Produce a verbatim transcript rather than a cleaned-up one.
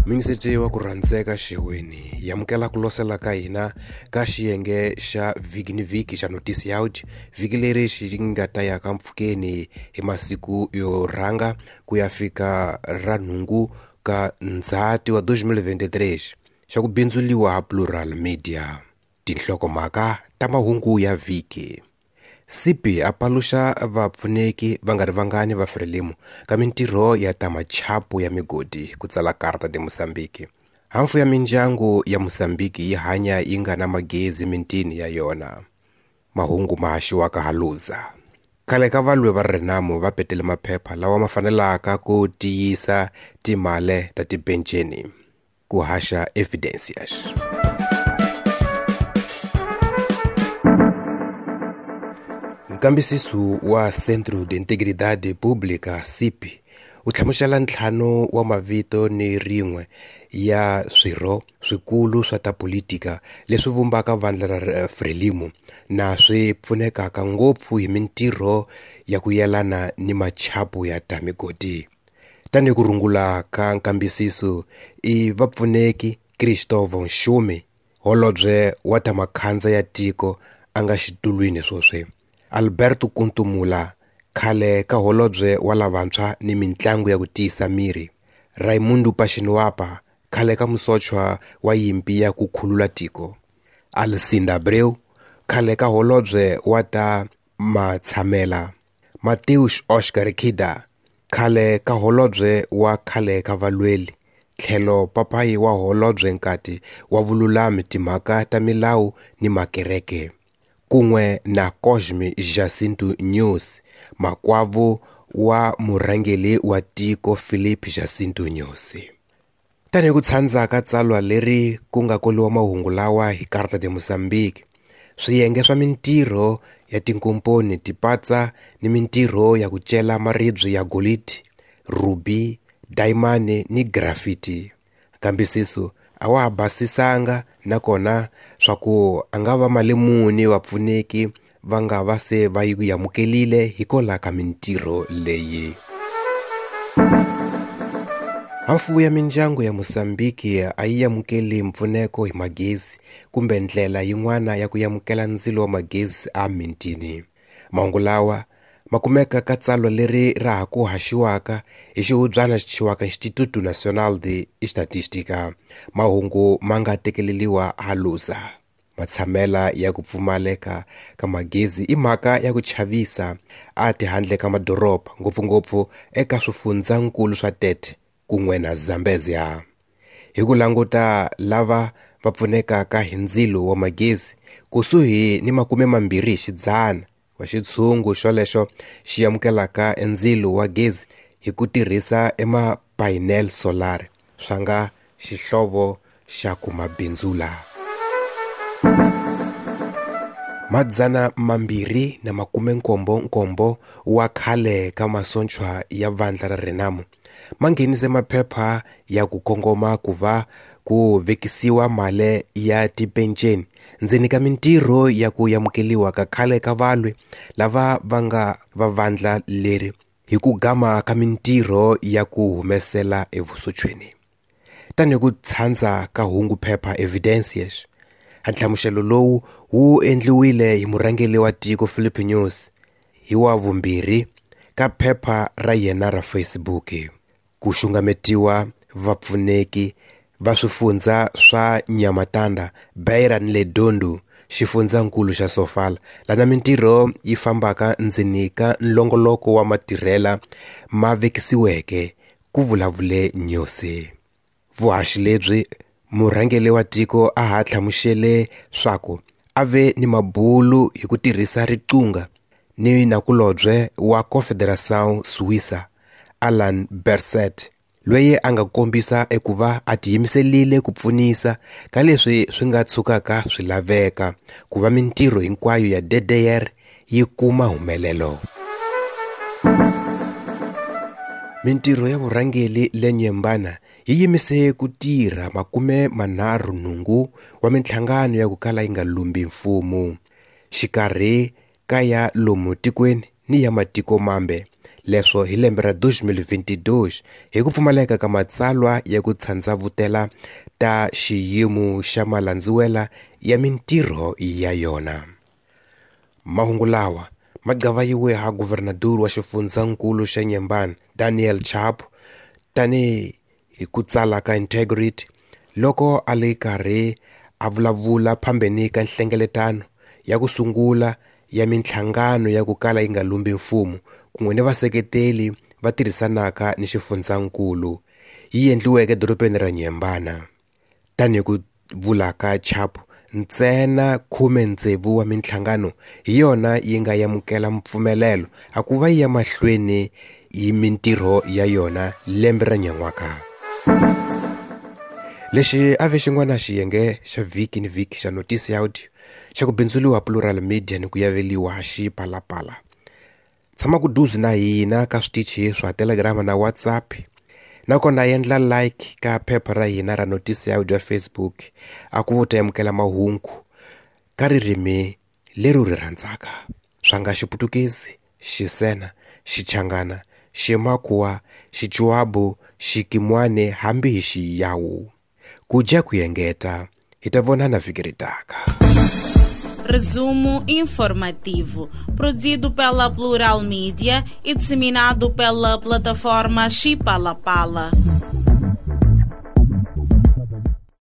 Mingiseti wa ku rhandzeka xeweni hi amukela ku losela ka hina ka xiyenge xa vhiki ni vhiki xa Notice Out, vhiki leri xi nga ta ya ka mpfhukeni hi masiku yo rhanga ku ya fika ra nhungu ka Ndzhati wa twenty twenty-three xa ku bindzuliwa ha Plural Media. Tinhlokomhaka ta mahungu ya vhiki. Sipi a paluxa vapfuneki va nga ri vangani va Frelimo ka mintirho ya ta machapu ya migodi ku tsala Carta de Mozambique. Hafu ya mindyangu ya Mozambique yi hanya yi nga na magezi mintini ya yona. Mahungu ma haxiwaka ha Luza. Khale ka valwi va Renamo va petele maphepha lawa ma fanelaka ku tiyisa timale ta tipenceni ku haxa Evidencias. Nkambisiso wa Centro de Integridade Pública C I P wu hlamusela ntlhanu wa mavito ni rin'we ya swirho swikulu swa ta politika leswi vumbaka vandla ra Frelimo na swi pfunekaka ngopfu hi mintirho ya ku yelana ni machapu ya ta migodi. Tanihi ku rungula ka nkambisiso i vapfuneki Cristóvão Nxumi, holobye wa ta makhandza ya tiko a nga xitulwini swoswi, Alberto Kuntumula, khale ka holobye wa lavantshwa ni mintlangu ya ku tiyisa miri, Raimundo Pachinuapa, khale ka musochwa wa yimpi ya ku khulula tiko, Alcinda Abreu, khale ka holobye wa ta matshamela, Mateus Oscar Kida, khale ka holobye wa khale ka valweli, tlhelo papayi wa holobye nkati wa vululami timhaka ta milawu ni makereke, kun'we na Cosme Jacinto Nyusi, makwavo wa murhangeri wa tiko Filipe Jacinto Nyusi. Tanihi ku tshandza ka tsalwa leri ku nga koliwa mahungu lawa hi Carta de Mozambique, swiyenge swa mintirho ya tinkomponi ti patsa ni mintirho ya ku cela maribye ya golidi, ruby, dayimani ni grafiti. Nkambisiso a wa ha basisanga nakona swa ku a nga va mali muni vapfuneki va nga va se va yi amukelile hikwalaho ka mintirho leyi. Hafu ya mindyangu ya Mozambique a yi amukeli mpfuneko hi magezi kumbe ndlela yin'wana ya ku amukela ndzilo wa magezi a mintini. Mahungu lawa ma kumeka ka tsalwa leri ra ha ku haxiwaka hi xihubyana xi thyiwaka Instituto Nacional de Estatística. Mahungu ma nga tekeleriwa ha Luza. Matshamela ya ku pfumaleka ka magezi i mhaka ya ku chavisa a tihandle ka madoroba, ngopfungopfu eka swifundzankulu swa Tete kun'we na Zambezia. Hi ku languta lava va pfunekaka hi ndzilo wa magezi kusuhi ni makume mambirhi hi xidzana wa xitshungu xolexo xi amukelaka ndzilo wa gezi hi ku tirhisa ema-panel solar swa nga xihlovo xa ku mabindzula. Madzana mambirhi na makume nkombo nkombo wa khale ka masochwa ya vandla ra Renamo ma nghenise maphepha ya ku kongoma ku va ku vekisiwa mali ya tipenceni ndzeni ka mintirho ya ku amukeliwa ka khale ka valwi lava va nga va vandla leri hi ku gama ka mintirho ya ku humesela evusochweni. Tanihi ku tshandza ka hungu phepha Evidencias, nhlamuselo lowu wu endliwile hi murhangeri wa tiko Filipe Nyusi hi wa vumbirhi ka phepha ra yena ra Facebook. Ku xungametiwa vapfuneki va swifundza swa Nhamatanda, Beira ni le Dondo, xifundzankulu xa Sofala, lana mintirho yi fambaka ndzeni ka nlongoloko wa matirhela ma vekisiweke, ku vulavule Nyusi. Vuhaxi lebyi murhangeri wa tiko a ha hlamusele swaku a ve ni mabulu hi ku tirhisa riqingho ni nakulobye wa Confederação Suíça, Alan Berset, loyi a nga kombisa ekuva a tiyimiserile ku pfunisa ka leswi swi nga tshukaka swi laveka ku va mintirho hinkwayo ya D D R yi kuma humelelo. Mintirho ya vurhangeri le Nyembana yi yimise ku tirha makume manharhu nhungu wa minhlangano ya ku kala yi nga lumbi mfumo, xikarhi ka ya lomu tikweni ni ya matiko mambe Leswo hi lembe ra dos mil vinte e dois hi ku pfumaleka ka matsalwa ya ku tshandzavutela ta xiyimo xa malandziwela ya mintirho ya yona. Mahungu lawa ma gqavayiwe ha guvernador wa xifundzankulu xa Inhambane Daniel Chapo tani hi ku tsala ka Integrity loko a le karhi a vulavula phambeni ka nhlengeletano ya ku sungula ya minhlangano ya ku kala yi nga lumbi mfumo kun'we ni vaseketeli va tirhisanaka ni xifundzankulu yi endliweke edorobeni ra Inhambane. Tanihi ku vula ka Chapo, ntsena khume tsevu wa minhlangano hi yona yi nga amukela mpfumelelo a ku va yi ya mahlweni hi mintirho ya yona lembe ra nyan'waka. Lexi a ve xin'wana xiyenge xa vhiki ni vhiki xa Notice Audio xa ku bindzuriwa Plural Media ni ku yaveliwa Xipalapala. Tshama ku duze na hina ka switichi swa Telegram na WhatsApp, nakona endla like ka phepha ra hina ra Notice Audio ya Facebook a ku vo ta amukela mahungu ka ririmi leri u ri rhandzaka, swa nga Xiputukezi, Xisena, Xichangana, Ximakhuwa, Xichuabu, Xikimwane hambi hi Xiyawu. Ku dya ku engeta, hi ta vonana vhiki ri taka. Resumo informativo, produzido pela Plural Media e disseminado pela plataforma Xipalapala.